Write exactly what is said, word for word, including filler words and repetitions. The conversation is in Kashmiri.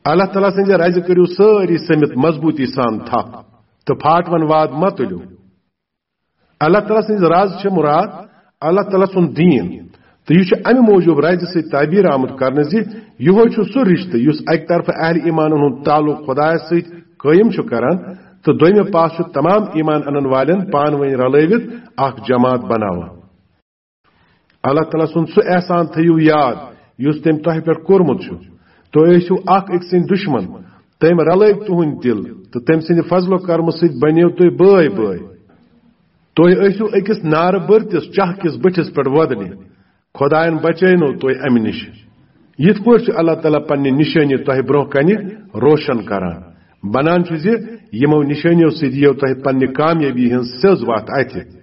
اللہ تعالیٰ سٕنٛزِ رزِ کٔرِو سٲری سٔمِتھ مضبوٗطی سان تھپھ تہٕ پھاٹوَن واد مہ تُلِو۔ اللہ تعالیٰ سٕنٛز رز چھِ مراد اللہ تعالیٰ سُنٛد دیٖن، تہٕ یہِ چھُ اَمہِ موٗجوٗب رزِ سۭتۍ تعبیٖر آمُت کرنہٕ زِ یِہوٚے چھُ سُہ رِشتہٕ یُس اَکہِ طرفہٕ اہلِ ایٖمانَن ہُنٛد تعلق خۄدایَس سۭتۍ قٲیِم چھُ کران تہٕ دوٚیمہِ پاسہٕ چھُ تمام ایٖمان اَنَن والٮ۪ن پانہٕ ؤنۍ رلٲوِتھ اکھ جماعت بناوان۔ اللہ تعالیٰ سُنٛد سُہ احسان تھٲیِو یاد یُس تٔمۍ تۄہہِ پٮ۪ٹھ کوٚرمُت چھُ۔ تُہۍ ٲسِو اکھ أکۍ سٕنٛدۍ دُشمن، تٔمۍ رلٲوۍ تُہٕنٛدۍ دِل تہٕ تٔمۍ سٕنٛدِ فضل و کرمہٕ سۭتۍ بنیو تُہۍ بٲے بٲے۔ تُہۍ ٲسِو أکِس نارٕ بٔرتِس چاہ کِس بٔٹھِس پٮ۪ٹھ وۄدنہِ۔ خۄدایَن بچٲونو تُہۍ اَمہِ نِش۔ یِتھ پٲٹھۍ چھُ اللہ تعالیٰ پننہِ نِشٲنی تۄہہِ برٛونٛہہ کنہِ روشن کران۔ بنان چھُ زِ یِمو نِشٲنیو سۭتۍ یِیو تۄہہِ پننہِ کامیٲبی ہٕنٛز سیٚز وَتھ اَتھِ۔